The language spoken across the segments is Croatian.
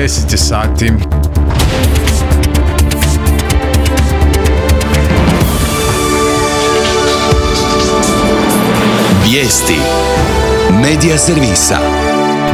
10 sati. Vijesti Medija servisa.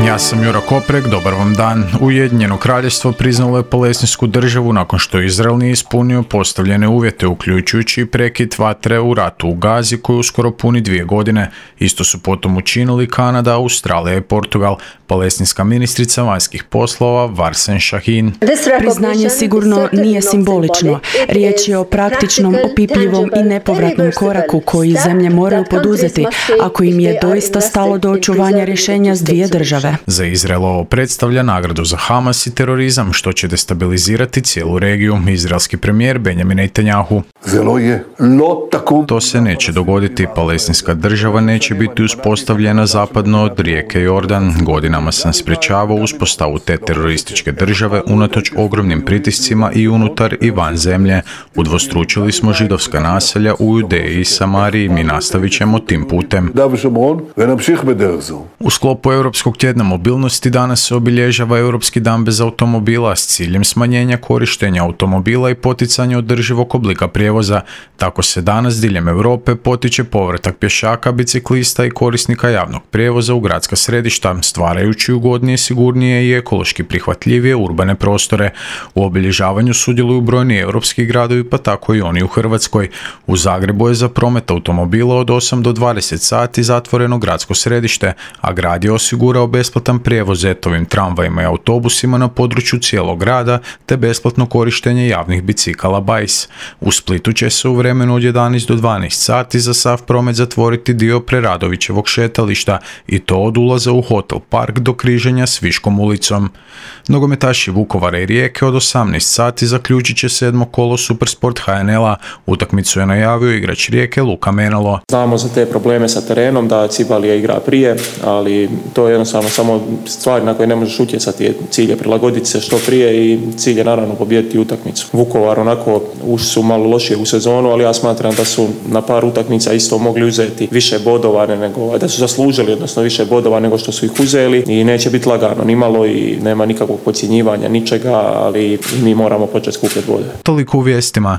Ja sam Juro Koprek, dobar vam dan. Ujedinjeno kraljevstvo priznalo je Palestinsku državu nakon što Izrael nije ispunio postavljene uvjete, uključujući i prekid vatre u ratu u Gazi koji uskoro puni 2 godine. Isto su potom učinili Kanada, Australija i Portugal. Palestinska ministrica vanjskih poslova Varsen Shahin. Priznanje sigurno nije simbolično. Riječ je o praktičnom, opipljivom i nepovratnom koraku koji zemlje moraju poduzeti ako im je doista stalo do očuvanja rješenja s 2 države. Za Izrael ovo predstavlja nagradu za Hamas i terorizam, što će destabilizirati cijelu regiju. Izraelski premijer Benjamin Netanjahu. To se neće dogoditi. Palestinska država neće biti uspostavljena zapadno od rijeke Jordan. Godinama sam sprječavao uspostavu te terorističke države unatoč ogromnim pritiscima i unutar i van zemlje. Udvostručili smo židovska naselja u Judeji i Samariji. Mi nastavit ćemo tim putem. U sklopu Europskog tjedna mobilnosti danas se obilježava Europski dan bez automobila s ciljem smanjenja korištenja automobila i poticanja održivog oblika prijevoza. Tako se danas diljem Europe potiče povratak pješaka, biciklista i korisnika javnog prijevoza u gradska središta, stvarajući ugodnije, sigurnije i ekološki prihvatljivije urbane prostore. U obilježavanju sudjeluju brojni europski gradovi, pa tako i oni u Hrvatskoj. U Zagrebu je za promet automobila od 8 do 20 sati zatvoreno gradsko središte, a grad je osigurao besplatan prijevoz ETO-vim tramvajima i autobusima na području cijelog grada, te besplatno korištenje javnih bicikala BAJS. U Splitu će se u vremenu od 11 do 12 sati za sav promet zatvoriti dio Preradovićevog šetališta, i to od ulaza u Hotel Park do križanja s Viškom ulicom. Nogometaši Vukovara i Rijeke od 18 sati zaključit će 7. kolo Supersport HNL-a. Utakmicu je najavio igrač Rijeke Luka Menalo. Znamo za te probleme sa terenom, da Cibalija igra prije, ali to je jednostavno samo stvari na koje ne možeš utjecati. Cilj je prilagoditi se što prije i cilj je naravno pobijediti utakmicu. Vukovar onako ušli su malo lošije u sezonu, ali ja smatram da su na par utakmica isto mogli uzeti više bodova nego, da su zaslužili odnosno više bodova nego što su ih uzeli, i neće biti lagano nimalo i nema nikakvog podcjenjivanja ničega, ali mi moramo početi skupljati bode. Toliko u vijestima.